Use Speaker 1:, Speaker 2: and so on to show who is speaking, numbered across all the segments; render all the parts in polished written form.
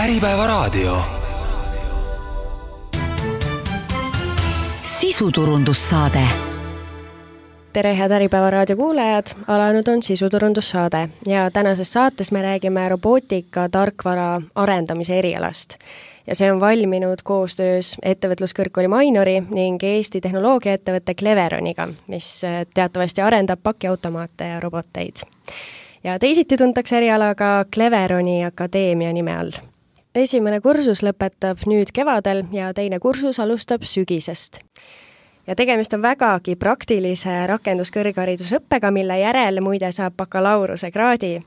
Speaker 1: Äripäevaraadio. Sisuturundussaade.
Speaker 2: Tere, head Äripäevaraadio kuulajad! Alanud on sisuturundussaade ja tänases saates me räägime robootika tarkvara arendamise erialast. Ja see on valminud koostöös ettevõtluskõrgkooli Mainori ning Eesti tehnoloogiaettevõtte Cleveroniga, mis teatavasti arendab pakiautomaate ja roboteid. Ja teisiti tuntakse erialaga Cleveroni Akadeemia nime all. Esimene kursus lõpetab nüüd kevadel ja teine kursus alustab sügisest. Ja tegemist on vägagi praktilise rakenduskõrgharidusõppega, mille järel muide saab bakalaureuse kraadi.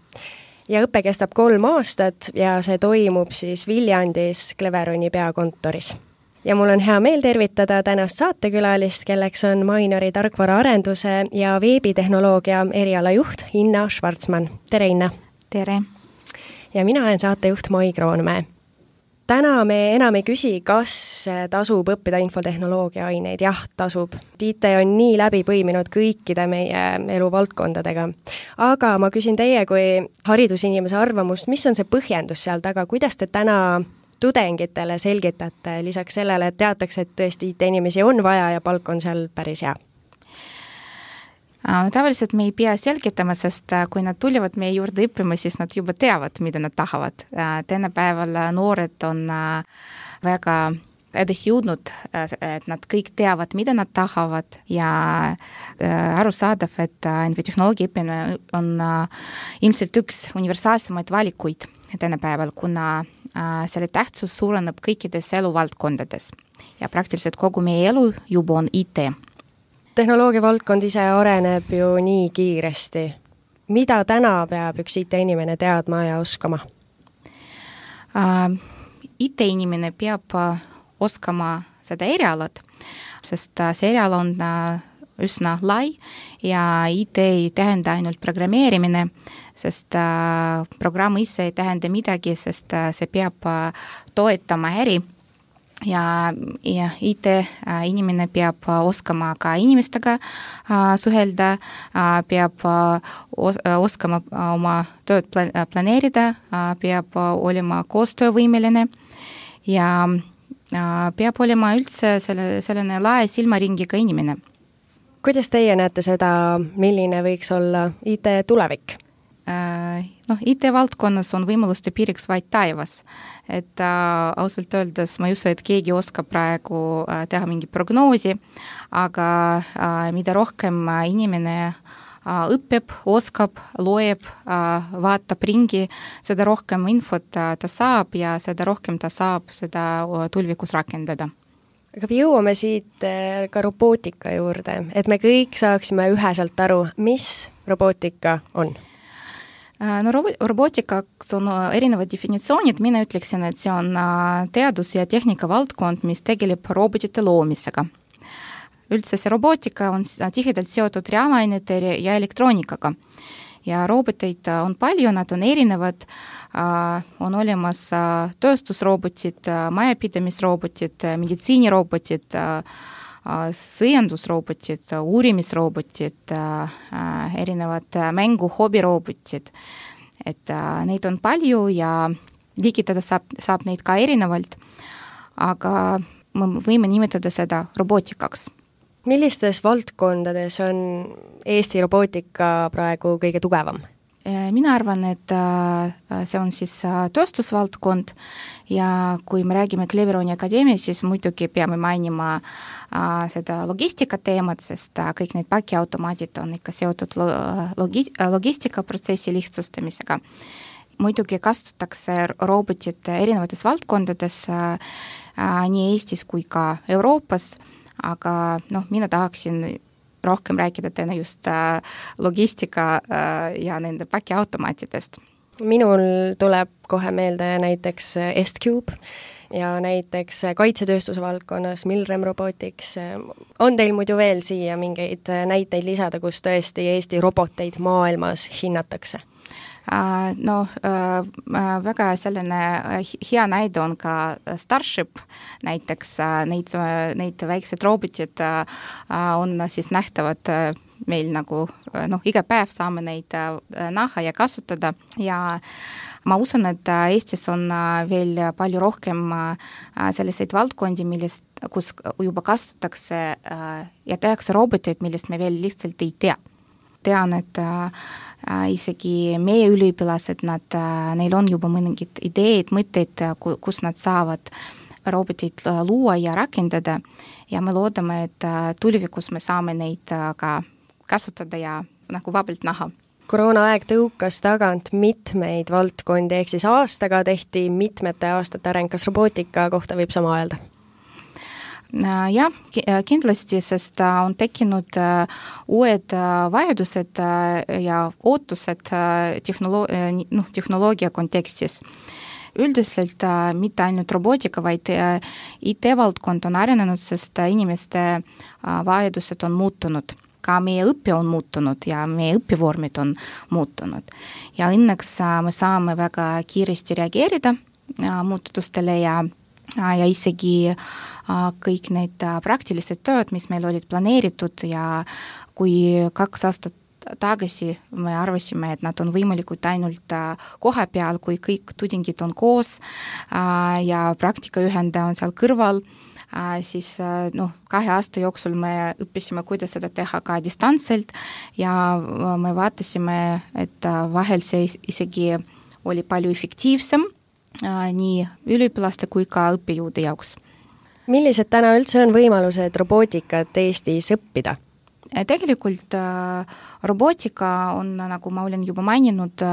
Speaker 2: Ja õpe kestab 3 aastat ja see toimub siis Viljandis Cleveroni peakontoris. Ja mul on hea meel tervitada tänast saatekülalist, kelleks on Mainori tarkvaraarenduse ja veebitehnoloogia erialajuht Inna Schwarzmann. Tere, Inna!
Speaker 3: Tere!
Speaker 2: Ja mina olen saatejuht Mai Kroonmäe. Täna me enam ei küsi, kas tasub õppida infotehnoloogia aineid. Jah, tasub. IT on nii läbi põiminud kõikide meie eluvaldkondadega. Aga ma küsin teie kui haridusinimese arvamust, mis on see põhjendus seal taga? Kuidas te täna tudengitele selgitate lisaks sellele, et teatakse, et tõesti IT-inimesi on vaja ja palk on seal päris hea?
Speaker 3: Tavaliselt me ei pea selgitama, sest kui nad tulevad meie juurde õppima, siis nad juba teavad, mida nad tahavad. Tänapäeval noored on väga edasi jõudnud, et nad kõik teavad, mida nad tahavad ja arusaadav, et infotehnoloogia õppimine on ilmselt üks universaalsemaid valikuid tänapäeval, kuna selle tähtsus suureneb kõikides eluvaldkondades ja praktiliselt kogu meie elu juba on IT.
Speaker 2: Tehnoloogia valdkond ise areneb ju nii kiiresti. Mida täna peab üks IT-inimene teadma ja oskama?
Speaker 3: IT-inimene peab oskama seda erialad, sest see eriala on üsna lai ja IT ei tähenda ainult programmeerimine, sest programm ise ei tähenda midagi, sest see peab toetama äri. Ja IT-inimene peab oskama ka inimestega suhelda, peab oskama oma tööd planeerida, peab olema koostöövõimeline ja peab olema üldse selline lae silmaringiga inimene.
Speaker 2: Kuidas teie näete seda, milline võiks olla IT tulevik?
Speaker 3: IT-valdkonnas on võimaluste piiriks vaid taevas. Et ausalt öeldes ma ei usu, et keegi oskab praegu teha mingi prognoosi, aga mida rohkem inimene õpib, oskab, loeb, vaatab ringi, seda rohkem infot ta saab ja seda rohkem ta saab seda tulevikus rakendada.
Speaker 2: Aga jõuame siit ka robootika juurde, et me kõik saaksime üheselt aru, mis robootika on.
Speaker 3: No robootikaks on erinevad definitsioonid, mina ütleksin, et see on teadus- ja tehnika valdkond, mis tegeleb robotite loomisega. Üldse see robootika on tihedalt seotud reaalainete ja elektroonikaga. Ja roboteid on palju, nad on erinevad, on olemas tööstusrobotid, majapidamisrobotid, meditsiinirobotid, sõjandusrobotid, uurimisrobotid, erinevad mängu hobirobotid. Et neid on palju ja liigitada saab neid ka erinevalt, aga me võime nimetada seda robootikaks.
Speaker 2: Millistes valdkondades on Eesti robootika praegu kõige tugevam?
Speaker 3: Mina arvan, et see on siis tööstusvaldkond ja kui me räägime Cleveroni Akadeemia, siis muidugi peame mainima seda logistika teemat, sest kõik need pakiautomaadid on ikka seotud logistikaprotsessi lihtsustamisega. Muidugi kasutatakse robotit erinevates valdkondades nii Eestis kui ka Euroopas, aga mina tahaksin rohkem rääkida täna just logistika ja nende pakiautomaatidest.
Speaker 2: Minul tuleb kohe meelde näiteks S-Cube ja näiteks kaitsetööstuse valdkonnas Milrem Robotics. On teil muidu veel siia mingeid näiteid lisada, kus tõesti Eesti roboteid maailmas hinnatakse?
Speaker 3: Väga selline hea näide on ka Starship, näiteks neid väiksed robotid on siis nähtavad meil nagu iga päev saame neid näha ja kasutada ja ma usun, et Eestis on veel palju rohkem selliseid valdkondi, kus juba kasutatakse ja tehakse roboteid, millest me veel lihtsalt ei tea. Tean, et isegi meie üliõpilased, neil on juba mõningid ideed, mõtteid, kus nad saavad roboteid luua ja rakendada ja me loodame, et tulevikus me saame neid ka kasutada ja nagu vabalt näha.
Speaker 2: Koroonaaeg tõukas tagant mitmeid valdkondi, ehk siis aastaga tehti mitmete aastate areng. Kas robootika kohta võib sama öelda?
Speaker 3: Jah, kindlasti, sest on tekkinud uued vajadused ja ootused tehnoloogia kontekstis. Üldiselt mitte ainult robootika, vaid IT-valdkond on arenenud, sest inimeste vajadused on muutunud. Ka meie õppe on muutunud ja meie õppevormid on muutunud. Ja õnneks me saame väga kiiresti reageerida muutustele ja isegi kõik need praktilised tööd, mis meil olid planeeritud ja kui 2 aastat tagasi me arvasime, et nad on võimalikud ainult koha peal, kui kõik tudengid on koos ja praktikajuhendaja on seal kõrval, siis 2 aasta jooksul me õppisime, kuidas seda teha ka distantselt ja me vaatasime, et vahel see isegi oli palju efektiivsem nii üliõpilaste kui ka õppejõude jaoks.
Speaker 2: Millised täna üldse on võimalused robootikat Eestis õppida?
Speaker 3: Tegelikult robootika on, nagu ma olen juba maininud,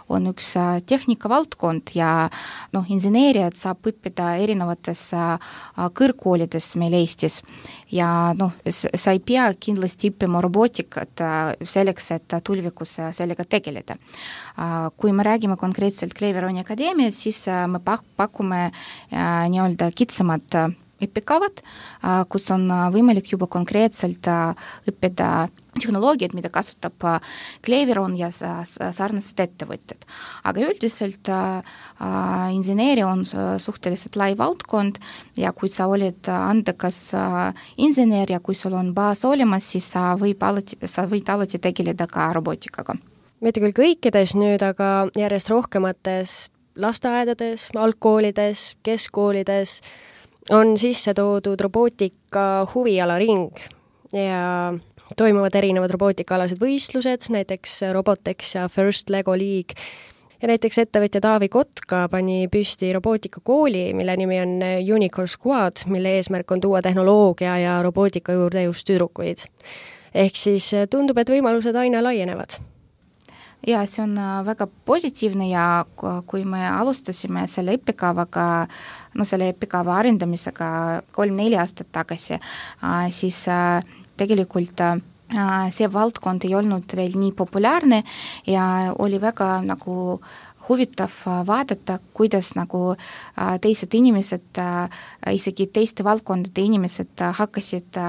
Speaker 3: on üks tehnikavaldkond ja inseneeriat saab õppida erinevates kõrgkoolides meil Eestis. Ja sa ei pea kindlasti õppima robootikat selleks, et tulevikus sellega tegeleda. Kui me räägime konkreetselt Cleveroni akadeemiat, siis me pakume nii-öelda kitsamad õppekavad, kus on võimalik juba konkreetselt õppida tehnoloogiat, mida kasutab Cleveron ja sarnased ettevõtted. Aga üldiselt inseneeria on suhteliselt lai valdkond ja kui sa oled andekas inseneer ja kui sul on baas olemas, siis sa võid alati tegeleda ka robootikaga.
Speaker 2: Mitte küll kõikides nüüd, aga järjest rohkemates lasteaedades, algkoolides, keskkoolides on sisse toodud robootika huvialaring ja toimuvad erinevad robootikalased võistlused, näiteks Robotex ja First Lego League. Ja näiteks ettevõtja Taavi Kotka pani püsti robootikakooli, mille nimi on Unicorn Squad, mille eesmärk on tuua tehnoloogia ja robootika juurde just tüdrukuid. Ehk siis tundub, et võimalused aina laienevad.
Speaker 3: Ja see on väga positiivne ja kui me alustasime selle õppekavaga, selle õppekava arendamisega 3-4 aastat tagasi, siis tegelikult see valdkond ei olnud veel nii populaarne ja oli väga nagu huvitav vaadata, kuidas nagu teised inimesed, isegi teiste valdkondade inimesed hakkasid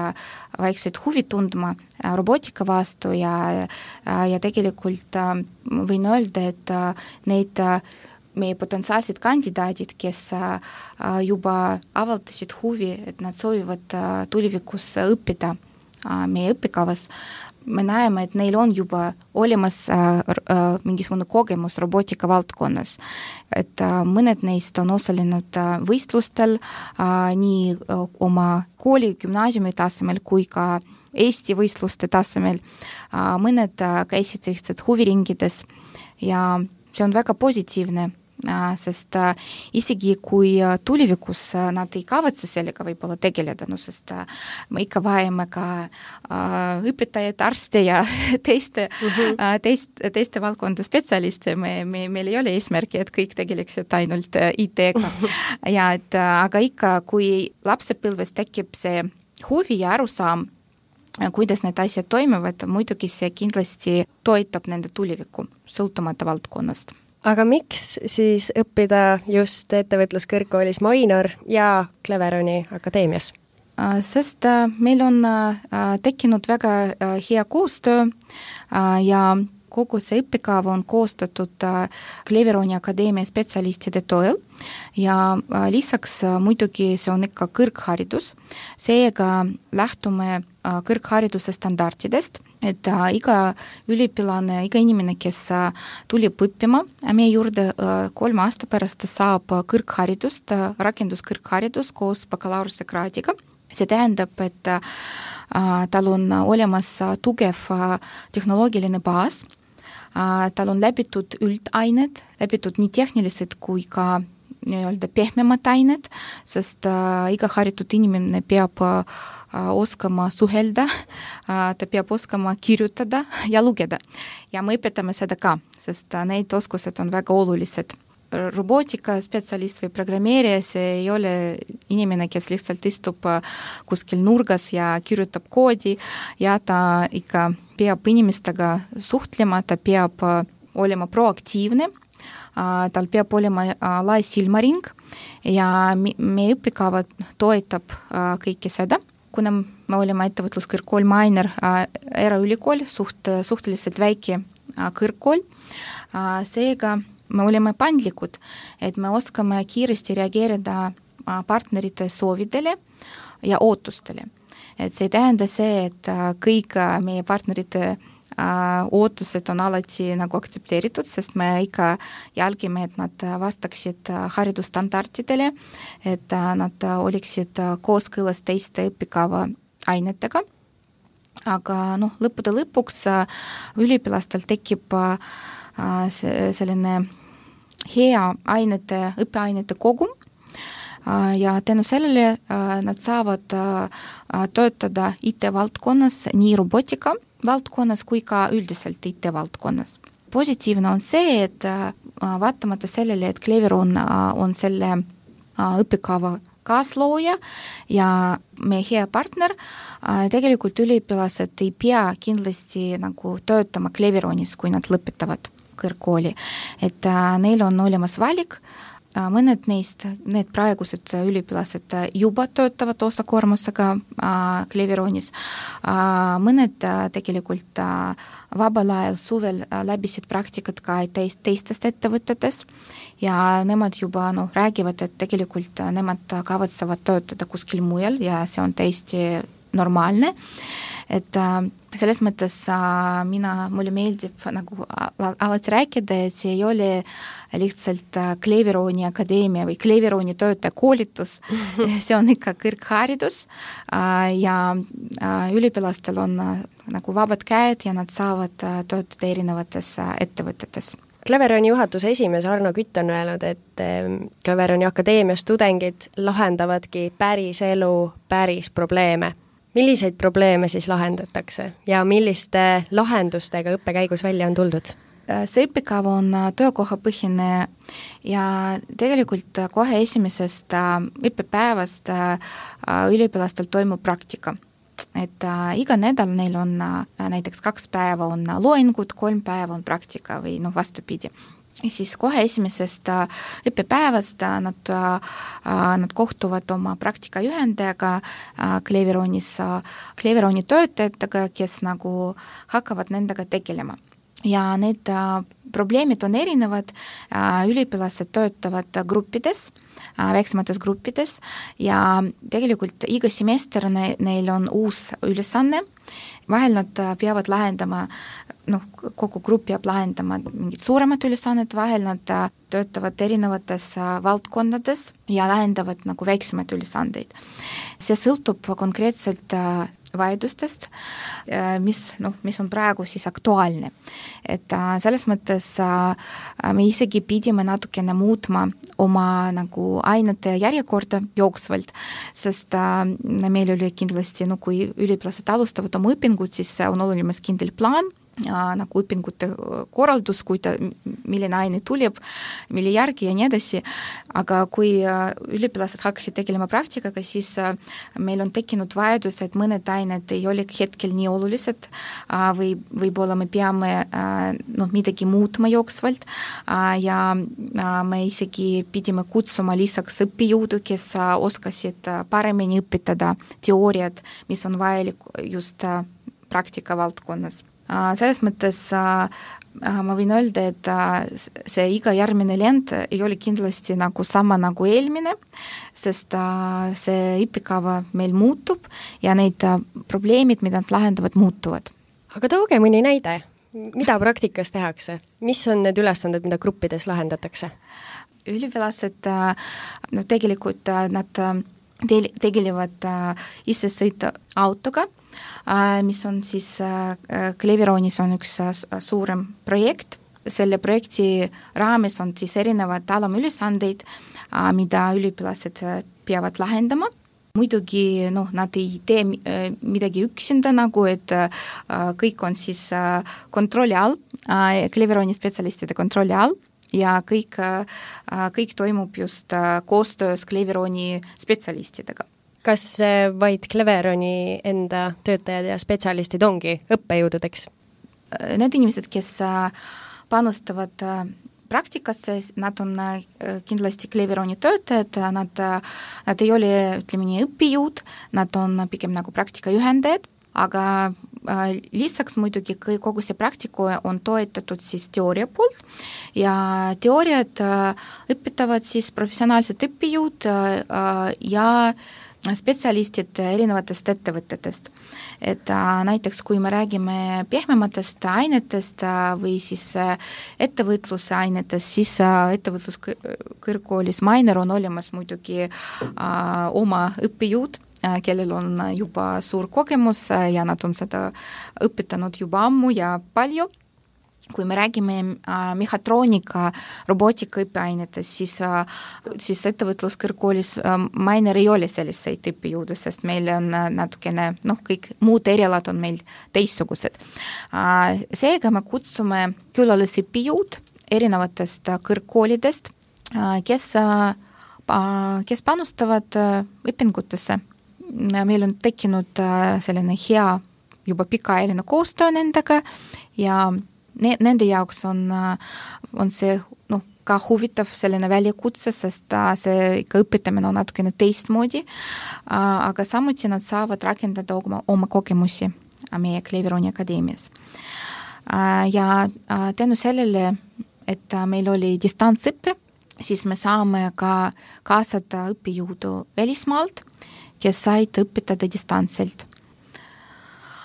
Speaker 3: vaikselt huvi tundma robootika vastu ja tegelikult võin öelda, et need meie potentsiaalsed kandidaadid, kes juba avaldasid huvi, et nad soovivad tulevikus õppida meie õppekavas, me näeme, et neil on juba olemas mingisugune kogemus robootika valdkonnas. Et mõned neist on osalenud võistlustel nii oma kooli gümnaasiumi tasemel kui ka Eesti võistluste tasemel. Mõned käisid lihtsalt huviringides ja see on väga positiivne, sest isegi kui tulevikus nad ei kavatse sellega võib-olla tegeleda, sest me ikka vajame ka õpetajad, arste ja teiste valdkonda spetsialiste. Meil ei ole eesmärki, et kõik tegeleksid ainult IT-ga. Aga ikka, kui lapsepõlves tekib see huvi ja arusaam, kuidas need asjad toimivad, muidugi see kindlasti toetab nende tulevikku, sõltumata valdkonnast.
Speaker 2: Aga miks siis õppida just ettevõtluskõrgkoolis Mainor ja Cleveroni akadeemias?
Speaker 3: Sest meil on tekkinud väga hea koostöö ja kogu see õppekava on koostatud Cleveroni Akadeemia spetsialistide toel ja lisaks muidugi see on ikka kõrgharidus, seega lähtume kõrghariduse standardidest, et iga üliõpilane, iga inimene, kes tuleb õppima meie juurde 3 aasta pärast saab kõrgharidust, rakenduskõrgharidus koos bakalaureusekraadiga. See tähendab, et tal on olemas tugev tehnoloogiline baas, tal on läbitud üldained, läbitud nii tehnilised kui ka nii-öelda pehmemad ained, sest iga haritud inimene peab oskama suhelda, ta peab oskama kirjutada ja lugeda. Ja me õpetame seda ka, sest need oskused on väga olulised. Robootika spetsialist või programmeerija, see ei ole inimene, kes lihtsalt istub kuskil nurgas ja kirjutab koodi ja ta ikka peab inimestega suhtlema, ta peab olema proaktiivne, tal peab olema lai silmaring ja meie õppekava toetab kõike seda. Kuna me oleme ettevõtluskõrgkool Mainer eraülikool, suhteliselt väike kõrgkool, seega me oleme pandlikud, et me oskame kiiresti reageerida partnerite soovidele ja ootustele. Et see ei tähenda see, et kõik meie partnerite ootused on alati nagu aktsepteeritud, sest me ikka jälgime, et nad vastaksid haridusstandardidele, et nad oleksid kooskõlas teiste õppekava ainetega. Aga lõppude lõpuks üliõpilastel tekib selline hea õppeainete kogum ja tänu sellele nad saavad töötada IT-valdkonnas, nii robotika valdkonnas kui ka üldiselt IT-valdkonnas. Positiivne on see, et vaatamata sellele, et Cleveron on selle õppekava kaaslooja ja meie hea partner, tegelikult üliõpilased ei pea kindlasti nagu töötama Cleveronis, kui nad lõpetavad kõrgkooli. Et neil on olemas valik, mõned neist, need praegused üliõpilased juba töötavad osakoormusega Cleveronis, mõned tegelikult vabal ajal suvel läbisid praktikat ka teistest ettevõtetes ja nemad juba räägivad, et tegelikult nemad kavatsevad töötada kuskil mujal ja see on täiesti normaalne, et selles mõttes mulle meeldib nagu alati rääkida, et see ei ole lihtsalt Cleveroni Akadeemia või Cleveroni töötaja koolitus, see on ikka kõrgharidus ja üliõpilastel on nagu vabad käed ja nad saavad töötada erinevates ettevõtetes.
Speaker 2: Cleveroni juhatuse esimees Arno Kütt on öelnud, et Cleveroni Akadeemias tudengid lahendavadki päris elu, päris probleeme. Milliseid probleeme siis lahendatakse ja milliste lahendustega õppekäigus välja on tuldud?
Speaker 3: See õppekava on töökohapõhine ja tegelikult kohe esimesest õppepäevast üliõpilastel toimub praktika. Et iga nädal neil on näiteks 2 päeva on loengud, 3 päeva on praktika või vastupidi. Ja siis kohe esimesest õppepäevast nad kohtuvad oma praktikajuhendajaga Cleveroni töötajatega, kes nagu hakkavad nendega tegelema. Ja need probleemid on erinevad, üliõpilased töötavad gruppides, väiksemates gruppides ja tegelikult iga semester neil on uus ülesanne, vahel nad peavad lahendama, kogu grupp peab lahendama mingid suuremad ülesanned, vahel nad töötavad erinevates valdkondades ja lahendavad nagu väiksemaid ülesandeid. See sõltub konkreetselt vajadustest, mis on praegu siis aktuaalne. Et selles mõttes me isegi pidime natukene muutma oma nagu ainete järjekorda jooksvalt, sest meil oli kindlasti, kui üliõpilased alustavad oma õpingut, siis on olemas kindel plaan, nagu õpingute korraldus, milline aine tuleb, mille järgi ja nii edasi, aga kui üliõpilased hakkasid tegelema praktikaga, siis meil on tekkinud vajadus, et mõned ained ei ole hetkel nii olulised või võib-olla me peame midagi muutma jooksvalt ja me isegi pidime kutsuma lisaks õppijõudu, kes oskasid paremini õpetada teooriad, mis on vajalik just praktika valdkonnas. Selles mõttes ma võin öelda, et see iga järgmine lend ei ole kindlasti nagu sama nagu eelmine, sest see õppekava meil muutub ja need probleemid, mida nad lahendavad, muutuvad.
Speaker 2: Aga tooge mõni näide, mida praktikas tehakse? Mis on need ülesanded, mida gruppides lahendatakse?
Speaker 3: Üliõpilased, tegelikult nad tegelevad ise sõita autoga, mis on siis Cleveronis on üks suurem projekt. Selle projekti raames on siis erinevad alamülesandeid, mida üliõpilased peavad lahendama. Muidugi nad ei tee midagi üksinda, nagu et kõik on siis kontrolli all, Cleveroni spetsialistide kontrolli all ja kõik toimub just koostöös Cleveroni spetsialistidega.
Speaker 2: Kas vaid Cleveroni enda töötajad ja spetsialistid ongi õppejõududeks?
Speaker 3: Need inimesed, kes panustavad praktikasse, nad on kindlasti Cleveroni töötajad, nad ei ole, ütleme nii, õppejõud, nad on pigem nagu praktikajuhendajad, aga lisaks muidugi kogu see praktiku on toetatud siis teooria poolt ja teooriad õpetavad siis professionaalsed õppejõud ja spetsialistid erinevatest ettevõtetest. Et näiteks kui me räägime pehmematest ainetest või siis ettevõtluse ainetest, siis ettevõtluskõrgkoolis Mainer on olemas muidugi oma õppejõud, kellel on juba suur kogemus ja nad on seda õpetanud juba ammu ja palju. Kui me räägime mehhatroonika, robootika õppeainetest, siis ettevõtluskõrgkoolis Mainer ei ole selliseid õppejõudu, sest meil on natukene, kõik muud erialad on meil teistsugused. Seega me kutsume külalisõppejõud erinevatest kõrgkoolidest, kes panustavad õpingutesse. Meil on tekkinud selline hea juba pikaajaline koostöö nendega ja nende jaoks on see ka huvitav selline väljakutse, sest see ikka õpetamine on natukene teistmoodi, aga samuti nad saavad rakendada oma kogemusi meie Cleveroni akadeemias. Ja tänu sellele, et meil oli distantsõppe, siis me saame ka kaasata õppejõudu välismaalt, kes said õpetada distantsilt.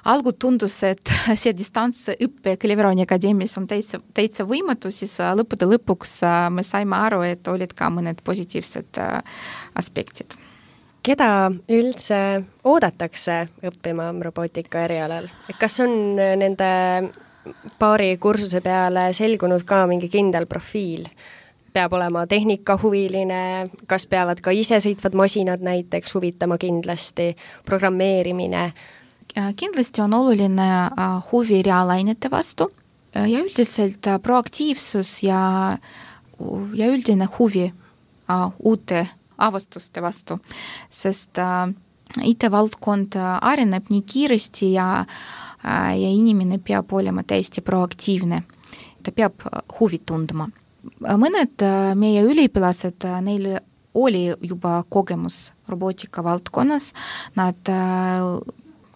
Speaker 3: Algu tundus, et see distantsõppe Cleveroni akadeemias on täitsa võimatu, siis lõppude lõpuks me saime aru, et olid ka mõned positiivsed aspektid.
Speaker 2: Keda üldse oodatakse õppima robootika erialal? Kas on nende paari kursuse peale selgunud ka mingi kindel profiil? Peab olema tehnikahuviline, kas peavad ka isesõitvad masinad näiteks huvitama kindlasti, programmeerimine?
Speaker 3: Kindlasti on oluline huvi reaalainete vastu ja üldiselt proaktiivsus ja üldine huvi uute avastuste vastu, sest IT-valdkond areneb nii kiiresti ja inimene peab olema täiesti proaktiivne. Ta peab huvi tundma. Mõned meie üliõpilased, neil oli juba kogemus robootika valdkonnas, nad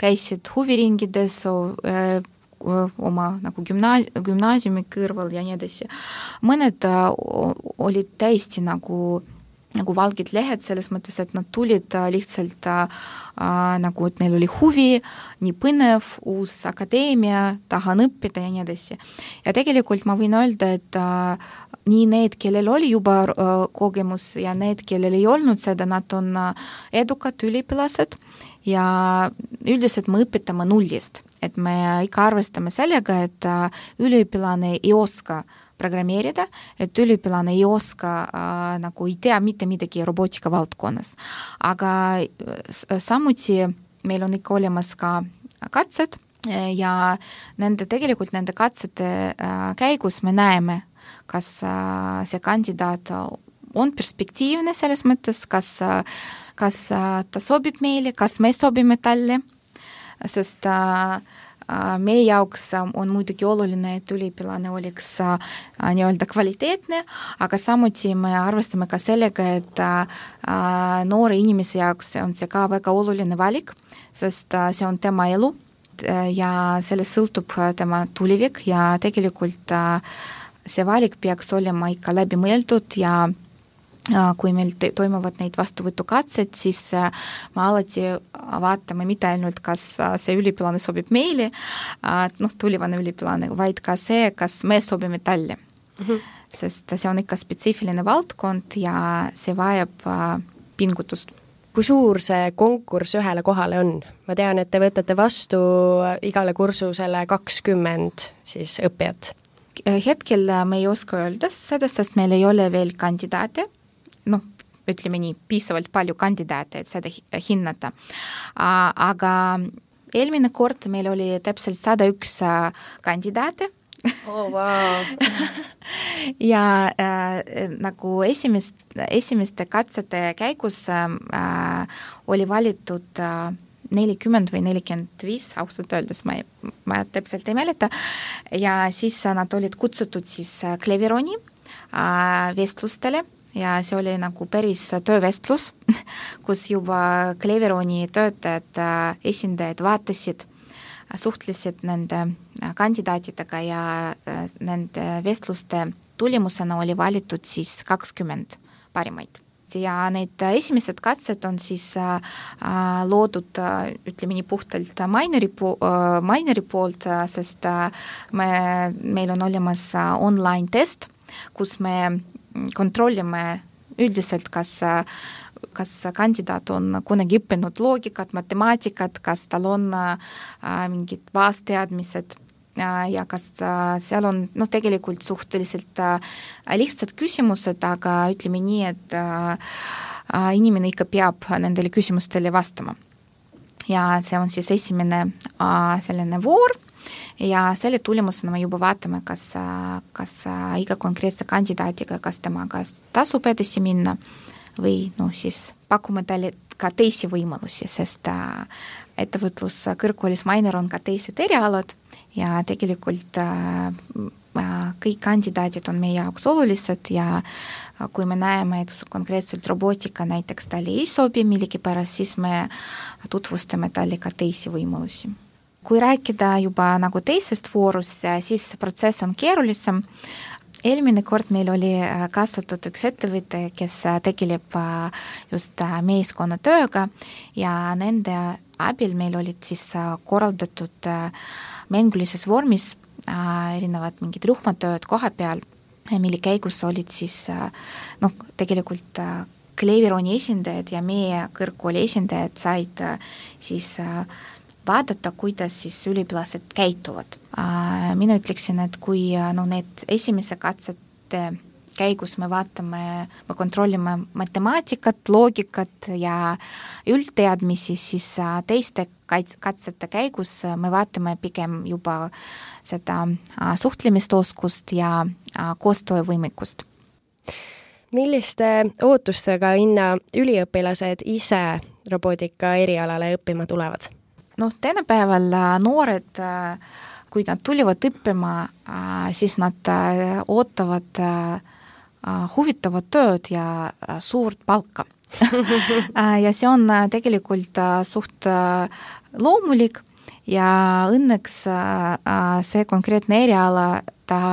Speaker 3: käisid huviringides oma nagu gümnaasiumi kõrval ja nii edasi. Mõned olid täiesti nagu valgid lehed selles mõttes, et nad tulid lihtsalt nagu, et neil oli huvi, nii põnev, uus akadeemia, tahan õppida ja nii edasi. Ja tegelikult ma võin öelda, et nii need, kellel oli juba kogemus ja need, kellel ei olnud seda, nad on edukad üliõpilased ja üldiselt me õpetame nullist, et me ikka arvestame sellega, et üliõpilane ei oska programmeerida, et üliõpilane ei oska, nagu ei tea mitte midagi robootika valdkonnas. Aga samuti meil on ikka olemas ka katsed ja tegelikult nende katsete käigus me näeme, kas see kandidaat on perspektiivne selles mõttes, kas ta sobib meile, kas me sobime talle, sest meie jaoks on muidugi oluline, et üliõpilane oleks nii-öelda kvaliteetne, aga samuti me arvestame ka sellega, et noore inimese jaoks on see ka väga oluline valik, sest see on tema elu ja sellest sõltub tema tulevik ja tegelikult see valik peaks olema ikka läbi mõeldud ja kui meil toimuvad neid vastuvõtukatsed, siis me alati vaatame mitte ainult, kas see üliõpilane sobib meile, tulevane üliõpilane, vaid ka see, kas me sobime talle. Sest see on ikka spetsiifiline valdkond ja see vajab pingutust.
Speaker 2: Kui suur see konkurss ühele kohale on? Ma tean, et te võtate vastu igale kursusele 20 siis õppijat.
Speaker 3: Hetkel me ei oska öelda seda, sest meil ei ole veel kandidaate, ütleme nii, piisavalt palju kandidaate, et seda hinnata. Aga eelmine kord meil oli täpselt 101 kandidaate.
Speaker 2: Oh, wow.
Speaker 3: ja nagu esimeste katsete käigus oli valitud 40 või 45, ausalt öeldes ma täpselt ei mäleta, ja siis nad olid kutsutud siis Cleveroni vestlustele ja see oli nagu päris töövestlus, kus juba Cleveroni töötajad, esindajad vaatasid, suhtlesid nende kandidaatidega ja nende vestluste tulemusena oli valitud siis 20 parimaid. Ja need esimesed katsed on siis loodud, ütleme nii puhtalt maineri poolt, sest meil on olemas online test, kus me kontrollime üldiselt, kas kandidaat on kunagi õppinud loogikat, matemaatikat, kas tal on mingid baasteadmised ja kas seal on tegelikult suhteliselt lihtsad küsimused, aga ütleme nii, et inimene ikka peab nendele küsimustele vastama. Ja see on siis esimene selline voor, ja selle tulemusena me juba vaatame, kas iga konkreetse kandidaatiga, kas temaga tasub edasi minna või siis pakume talle ka teisi võimalusi, sest ettevõtlus kõrgkoolis Mainer on ka teised erialad ja tegelikult kõik kandidaadid on meie jaoks olulised ja kui me näeme, et konkreetselt robootika näiteks talle ei sobi millegipärast, siis me tutvustame talle ka teisi võimalusi. Kui rääkida juba nagu teisest voorust, siis protsess on keerulisem. Eelmine kord meil oli kaasatud üks ettevõte, kes tegeleb just meeskonnatööga ja nende abil meil olid siis korraldatud mängulises vormis erinevad mingid rühmatööd koha peal, mille käigus olid siis tegelikult Cleveroni esindajad ja meie kõrgkooli esindajad said siis vaadata, kuidas siis üliõpilased käituvad. Mina ütleksin, et kui need esimese katsete käigus me kontrollime matemaatikat, loogikat ja üldteadmisi, siis teiste katsete käigus me vaatame pigem juba seda suhtlemisoskust ja koostöövõimekust.
Speaker 2: Milliste ootustega Inna üliõpilased ise robootika erialale õppima tulevad?
Speaker 3: Tänapäeval noored, kui nad tulivad õppima, siis nad ootavad huvitavat tööd ja suurt palka. Ja see on tegelikult suht loomulik ja õnneks see konkreetne eriala,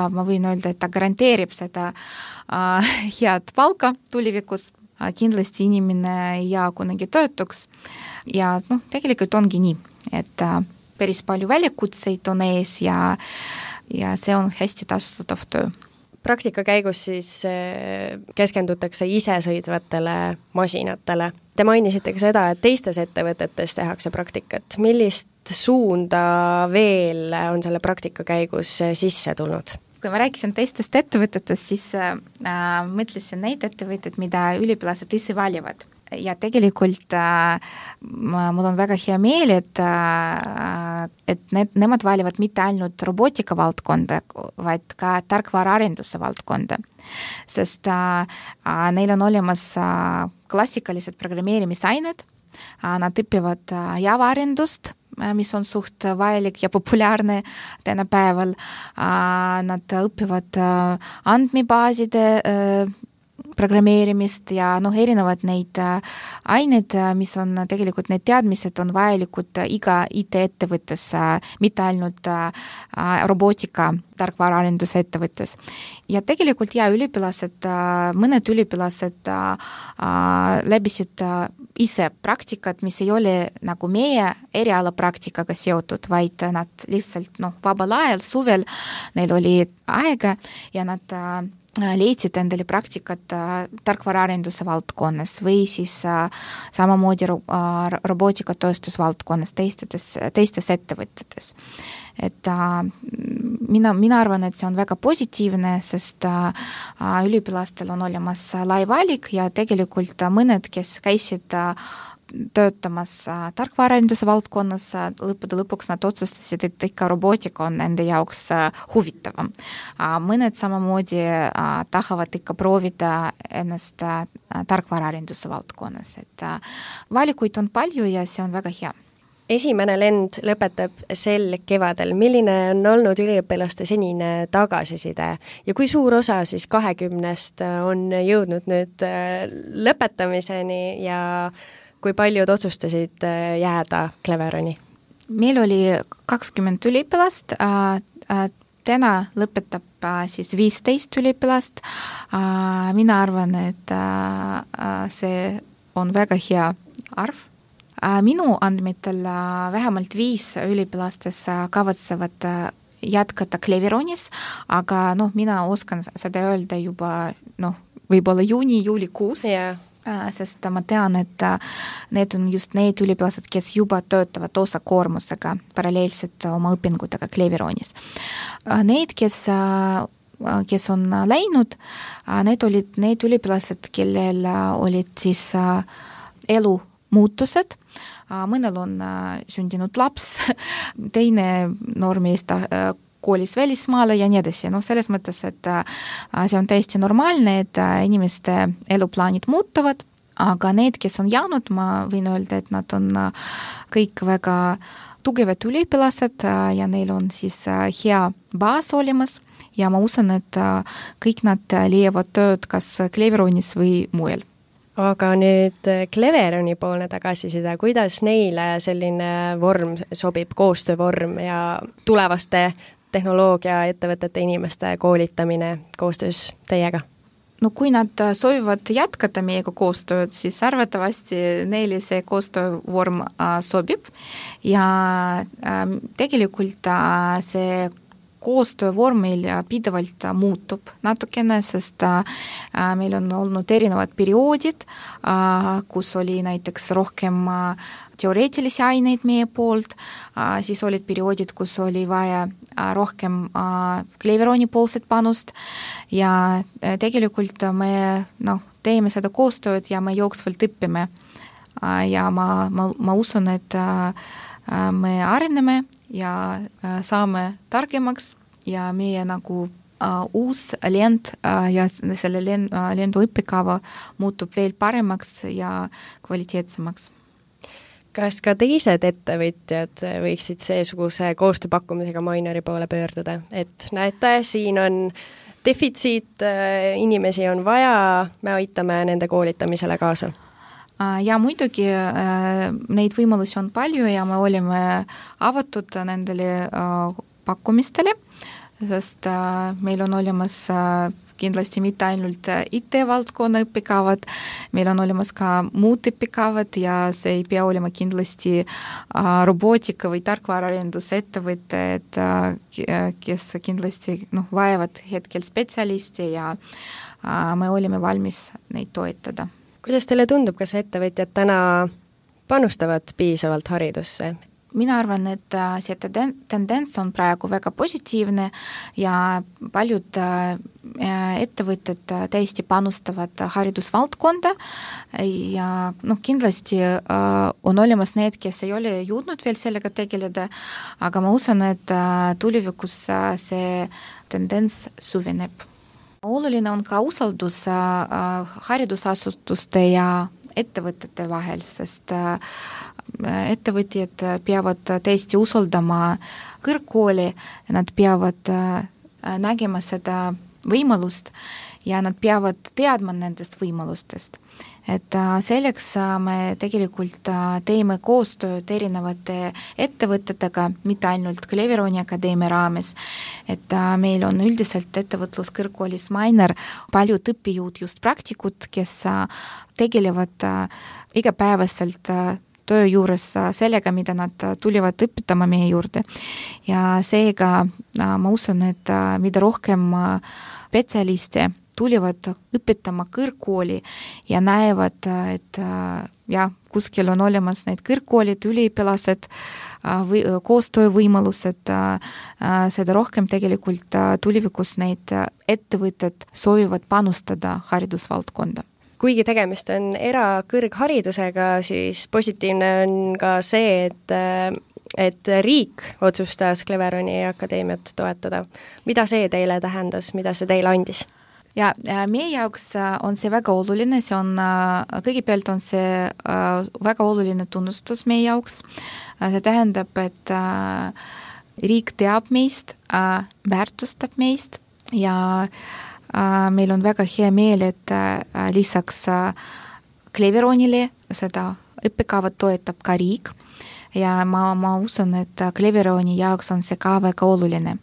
Speaker 3: ma võin öelda, et ta garanteerib seda head palka tulevikus. Kindlasti inimene ei jää kunagi töötuks ja tegelikult ongi nii, et päris palju väljakutseid on ees ja see on hästi tasustatav töö.
Speaker 2: Praktika käigus siis keskendutakse isesõidvatele masinatele. Te mainisite ka seda, et teistes ettevõtetes tehakse praktikat. Millist suunda veel on selle praktika käigus sisse tulnud?
Speaker 3: Kui ma rääkisin teistest ettevõtetest, siis mõtlesin neid ettevõtteid, mida üliõpilased ise valivad. Ja tegelikult mul on väga hea meel, et nemad valivad mitte ainult robootika valdkonda, vaid ka tarkvaraarenduse valdkonda. Sest neil on olemas klassikalised programmeerimisained, nad õpivad Java-arendust, mis on suht vajalik ja populaarne tänapäeval. Nad õpivad andmebaaside programmeerimist ja erinevad neid ained, mis on tegelikult, need teadmised on vajalikud iga IT-ettevõttes, mitte ainult robootika tarkvaraarenduse ettevõttes. Ja tegelikult üliõpilased, mõned üliõpilased läbisid ise praktikat, mis ei ole nagu meie eriala praktikaga seotud, vaid nad lihtsalt vabal ajal, suvel neil oli aega ja nad leidsid endale praktikat tarkvaraarenduse valdkonnas või siis samamoodi robootikatööstusvaldkonnas teistes ettevõtetes. Et mina arvan, et see on väga positiivne, sest üliõpilastel on olemas lai valik ja tegelikult mõned, kes käisid töötamas tarkvaraarenduse valdkonnas, lõppude lõpuks nad otsustasid, et ikka robootika on nende jaoks huvitavam. Mõned samamoodi tahavad ikka proovida ennast tarkvaraarenduse valdkonnas, et valikuid on palju ja see on väga hea.
Speaker 2: Esimene lend lõpetab sel kevadel. Milline on olnud üliõpilaste senine tagasiside ja kui suur osa siis 20 on jõudnud nüüd lõpetamiseni ja kui paljud otsustasid jääda Cleveroni?
Speaker 3: Meil oli 20 üliõpilast, täna lõpetab siis 15 üliõpilast. Mina arvan, et see on väga hea arv. Minu andmetel vähemalt 5 üliõpilastes kavatsevad jätkata Cleveronis, aga mina oskan seda öelda juba võib-olla juulikuus.
Speaker 2: Yeah.
Speaker 3: Sest ma tean, et need on just need üliõpilased, kes juba töötavad osakoormusega paralleelselt oma õpingutega Cleveronis. Need, kes on läinud, need olid need üliõpilased, kellel olid siis elumuutused. Mõnel on sündinud laps, teine noormees koolis välismaale ja nii edasi. Selles mõttes, et see on täiesti normaalne, et inimeste eluplaanid muutuvad, aga need, kes on jäänud, ma võin öelda, et nad on kõik väga tugevad üliõpilased ja neil on siis hea baas olemas ja ma usun, et kõik nad leiavad tööd kas Cleveronis või mujal.
Speaker 2: Aga nüüd Cleveroni poolne tagasiside, kuidas neile selline vorm sobib, koostöövorm ja tulevaste tehnoloogia ettevõtete inimeste koolitamine koostöös teiega?
Speaker 3: Kui nad soovivad jätkata meiega koostööd, siis arvatavasti neile see koostöövorm sobib ja tegelikult see koostöövorm meil pidevalt muutub natukene, sest meil on olnud erinevad perioodid, kus oli näiteks rohkem teoreetilisi aineid meie poolt, siis olid perioodid, kus oli vaja rohkem Cleveroni poolset panust ja tegelikult me teeme seda koostööd ja me jooksvalt õppime. Ja ma usun, et me areneme ja saame targemaks ja meie uus lend ja selle lendu õppekava muutub veel paremaks ja kvaliteetsemaks.
Speaker 2: Kas ka teised ettevõtjad võiksid seesuguse koostööpakkumisega Mainori poole pöörduda, et näete, siin on defitsiit, inimesi on vaja, me aitame nende koolitamisele kaasa?
Speaker 3: Ja muidugi neid võimalusi on palju ja me olime avatud nendele pakkumistele, sest meil on olemas kindlasti mitte ainult IT-valdkonna õppekavad, meil on olemas ka muud õppekavad ja see ei pea olema kindlasti robootika või tarkvaraarenduse ettevõtted, kes kindlasti vajavad hetkel spetsialisti ja me olime valmis neid toetada.
Speaker 2: Kuidas teile tundub, kas ettevõtjad täna panustavad piisavalt haridusse?
Speaker 3: Mina arvan, et see tendents on praegu väga positiivne ja paljud ettevõtted täiesti panustavad haridusvaldkonda ja kindlasti on olemas need, kes ei ole jõudnud veel sellega tegeleda, aga ma usun, et tulevikus see tendents süveneb. Oluline on ka usaldus haridusasutuste ja ettevõtete vahel, sest ettevõtjad peavad tõesti usaldama kõrgkooli, nad peavad nägema seda võimalust ja nad peavad teadma nendest võimalustest. Et selleks me tegelikult teeme koostööd erinevate ettevõtetega, mitte ainult Cleveroni Akadeemia raames, et meil on üldiselt ettevõtluskõrgkoolis Mainer paljud õppijõud, just praktikud, kes tegelevad igapäevaselt töö juures sellega, mida nad tulivad õpetama meie juurde. Ja seega ma usun, et mida rohkem spetsialiste tulivad õpetama kõrgkooli ja näevad, et kuskil on olemas need kõrgkoolid, üliõpilased, koostöövõimalused, seda rohkem tegelikult tulevikus neid ettevõtted soovivad panustada haridusvaldkonda.
Speaker 2: Kuigi tegemist on erakõrgharidusega, siis positiivne on ka see, et riik otsustas Cleveroni Akadeemiat toetada. Mida see teile tähendas, mida see teile andis?
Speaker 3: Ja meie jaoks on see väga oluline, kõigepealt on see väga oluline tunnustus meie jaoks. See tähendab, et riik teab meist, väärtustab meist ja meil on väga hea meel, et lisaks Cleveronile seda õppekavat toetab ka riik ja ma usun, et Cleveroni jaoks on see ka väga oluline.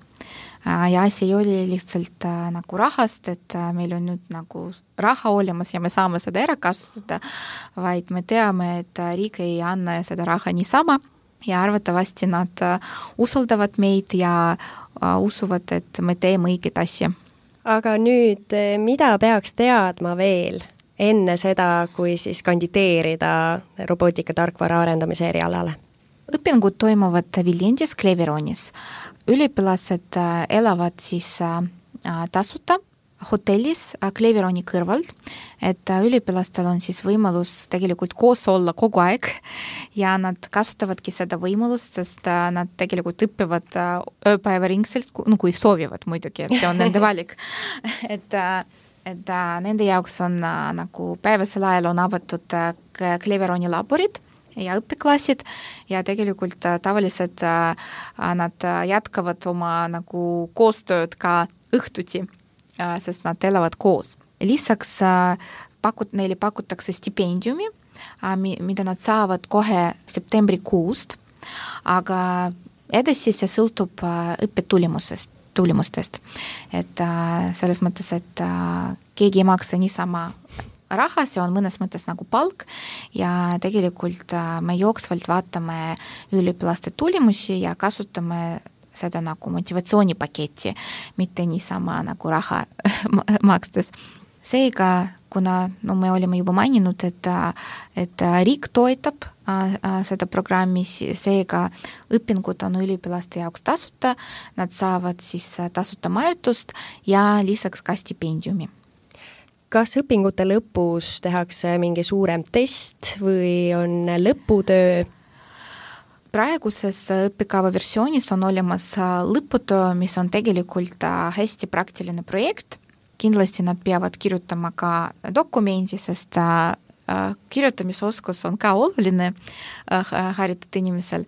Speaker 3: Ja asi ei oli lihtsalt nagu rahast, et meil on nüüd nagu raha olemas ja me saame seda ära kasutada, vaid me teame, et riik ei anna seda raha niisama ja arvatavasti nad usaldavad meid ja usuvad, et me teeme õiget asja.
Speaker 2: Aga nüüd, mida peaks teadma veel enne seda, kui siis kandideerida robootika tarkvara arendamise erialale?
Speaker 3: Õpingud toimuvad Viljandis, Cleveronis. Üliõpilased elavad siis tasuta hotellis Cleveroni kõrvalt, et üliõpilastel on siis võimalus tegelikult koos olla kogu aeg ja nad kasutavadki seda võimalust, sest nad tegelikult õppivad ööpäevaringselt, kui soovivad muidugi, et see on nende valik. et nende jaoks on nagu päevasel ajal on avatud Cleveroni laborid ja õppeklassid ja tegelikult tavaliselt nad jätkavad oma nagu koostööd ka õhtuti, sest nad elavad koos. Lisaks neile pakutakse stipendiumi, mida nad saavad kohe septembrikuust, aga edasi see sõltub õppetulemustest. Et selles mõttes, et keegi ei maksa niisama raha, see on mõnes mõttes nagu palk ja tegelikult me jooksvalt vaatame üliõpilaste tulemusi ja kasutame seda nagu motivatsioonipaketti, mitte niisama nagu raha makstes. Seega, kuna me olime juba maininud, et riik toetab seda programmi, seega õpingud on üliõpilaste jaoks tasuta, nad saavad siis tasuta majutust ja lisaks ka stipendiumi.
Speaker 2: Kas õpingute lõpus tehakse mingi suurem test või on lõputöö?
Speaker 3: Praeguses õppekava versioonis on olemas lõputöö, mis on tegelikult hästi praktiline projekt. Kindlasti nad peavad kirjutama ka dokumendi, sest kirjutamisoskus on ka oluline haritud inimesel,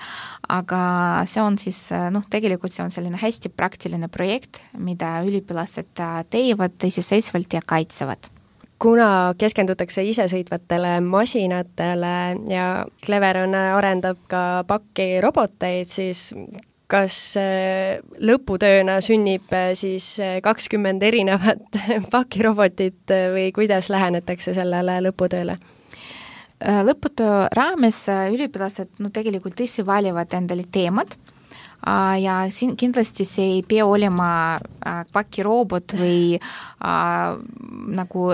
Speaker 3: aga see on siis, tegelikult see on selline hästi praktiline projekt, mida üliõpilased teevad iseseisvalt ja kaitsevad.
Speaker 2: Kuna keskendutakse isesõitvatele masinatele ja Cleveron arendab ka pakiroboteid, siis kas lõputööna sünnib siis 20 erinevat pakirobotit või kuidas lähenetakse sellele lõputööle?
Speaker 3: Lõputöö raames üliõpilased tegelikult ise valivad endale teemad ja siin kindlasti see ei pea olema pakirobot või nagu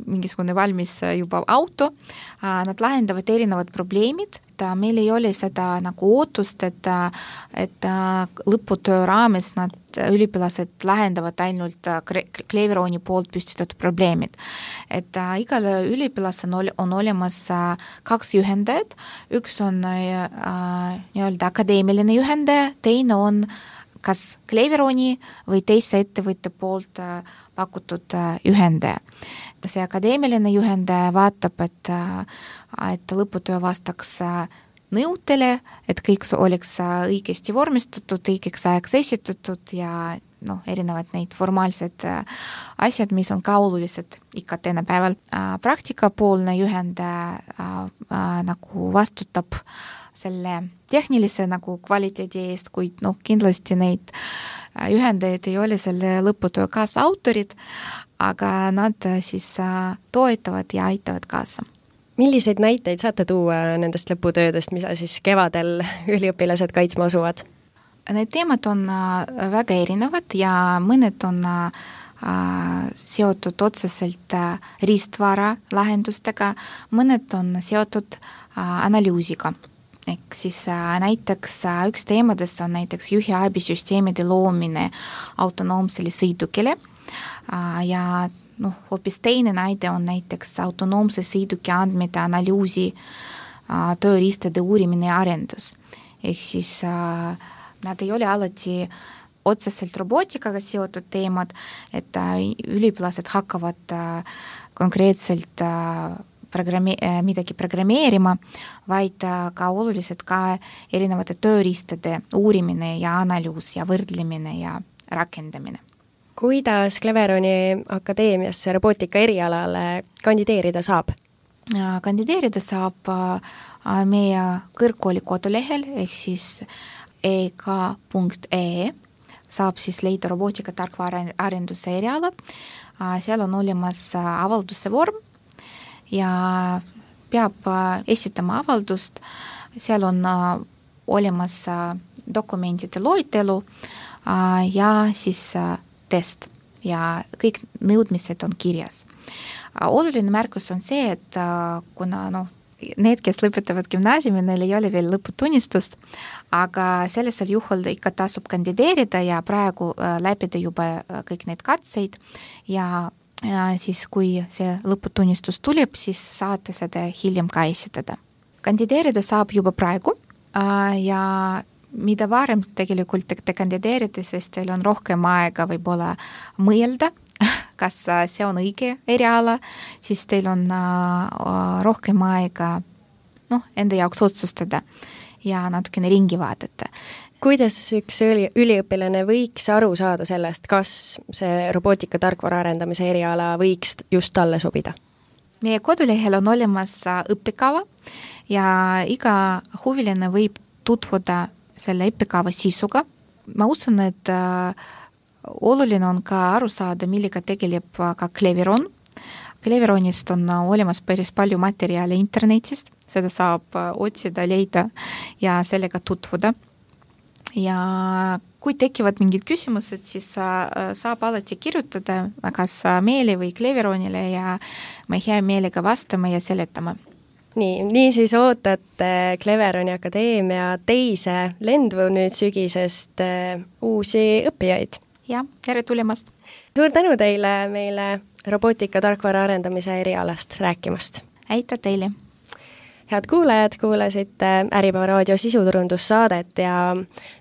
Speaker 3: mingisugune valmis juba auto. Nad lahendavad erinevad probleemid. Meil ei ole seda nagu ootust, et lõputöö raames nad üliõpilased lahendavad ainult Cleveroni poolt püstitatud probleemid. Et igal üliõpilasel on olemas 2 juhendajat, üks on nii-öelda akadeemiline juhendaja, teine on kas Cleveroni või teise ettevõtte poolt pakutud juhendaja. See akadeemiline juhendaja vaatab, et lõputöö vastaks nõudele, et kõik oleks õigesti vormistatud, õigeks ajaks esitatud ja erinevad neid formaalsed asjad, mis on ka olulised ikka tänapäeval. Praktikapoolne juhend nagu vastutab selle tehnilise nagu kvaliteedi eest, kuid kindlasti neid juhendajaid ei ole selle lõputöö kaasautorid, aga nad siis toetavad ja aitavad kaasa.
Speaker 2: Milliseid näiteid saate tuua nendest lõputöödest, mida siis kevadel üliõpilased kaitsma asuvad?
Speaker 3: Need teemad on väga erinevad ja mõned on seotud otseselt riistvara lahendustega, mõned on seotud analüüsiga. Ehk siis näiteks üks teemadest on näiteks juhiabisüsteemide loomine autonoomsele sõidukile ja hoopis teine näide on näiteks autonoomse sõiduki andmete analüüsi, tööriistade uurimine ja arendus. Ehk siis nad ei ole alati otseselt robootikaga seotud teemad, et üliõpilased hakkavad konkreetselt midagi programmeerima, vaid ka olulised ka erinevate tööriistade uurimine ja analüüs ja võrdlemine ja rakendamine.
Speaker 2: Kuidas Cleveroni akadeemiasse robootika erialale kandideerida saab?
Speaker 3: Kandideerida saab meie kõrgkooli kodulehel, ehk siis ek.ee saab siis leida robootika tarkvaraarenduse eriala. Seal on olemas avalduse vorm ja peab esitama avaldust. Seal on olemas dokumentide loetelu ja siis test ja kõik nõudmised on kirjas. Oluline märkus on see, et kuna need, kes lõpetavad gümnaasiumi, neil ei ole veel lõputunnistust, aga sellisel juhul ikka tasub kandideerida ja praegu läbida juba kõik need katseid ja siis, kui see lõputunnistus tuleb, siis saate seda hiljem ka esitada. Kandideerida saab juba praegu ja mida varem tegelikult te kandideerite, sest teil on rohkem aega võib-olla mõelda, kas see on õige eriala, siis teil on rohkem aega enda jaoks otsustada ja natukene ringi vaadata.
Speaker 2: Kuidas üks üliõpilane võiks aru saada sellest, kas see robootika tarkvara arendamise eriala võiks just talle sobida?
Speaker 3: Meie kodulehel on olemas õppekava ja iga huviline võib tutvuda selle õppekava sisuga. Ma usun, et oluline on ka aru saada, millega tegeleb ka Cleveron. Cleveronist on olemas päris palju materjali internetist, seda saab otsida, leida ja sellega tutvuda. Ja kui tekivad mingid küsimused, siis saab alati kirjutada kas meile või Cleveronile ja me hea meelega vastame ja seletame.
Speaker 2: Nii siis ootate Cleveroni akadeemia teise lendu nüüd sügisest uusi õppijaid.
Speaker 3: Ja, tere tulemast!
Speaker 2: Suur tänu teile meile robootika tarkvara arendamise erialast rääkimast.
Speaker 3: Aitäh teile!
Speaker 2: Head kuulajad, kuulasite Äripäeva raadio sisuturundussaadet ja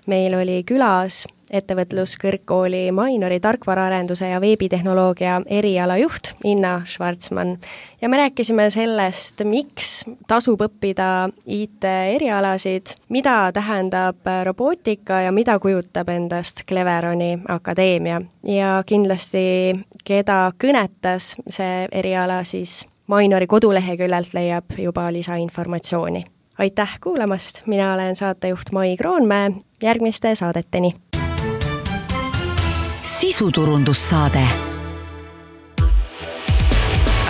Speaker 2: meil oli külas ettevõtluskõrgkooli Mainori tarkvaraarenduse ja veebitehnoloogia erialajuht Inna Schwarzmann. Ja me rääkisime sellest, miks tasub õppida IT-erialasid, mida tähendab robootika ja mida kujutab endast Cleveroni akadeemia. Ja kindlasti, keda kõnetas see eriala, siis Mainori koduleheküljelt leiab juba lisainformatsiooni. Aitäh kuulamast, mina olen saatejuht Mai Kroonmäe, järgmiste saadeteni.
Speaker 1: Sisuturundussaade.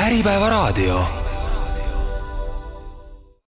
Speaker 1: Äripäeva raadio.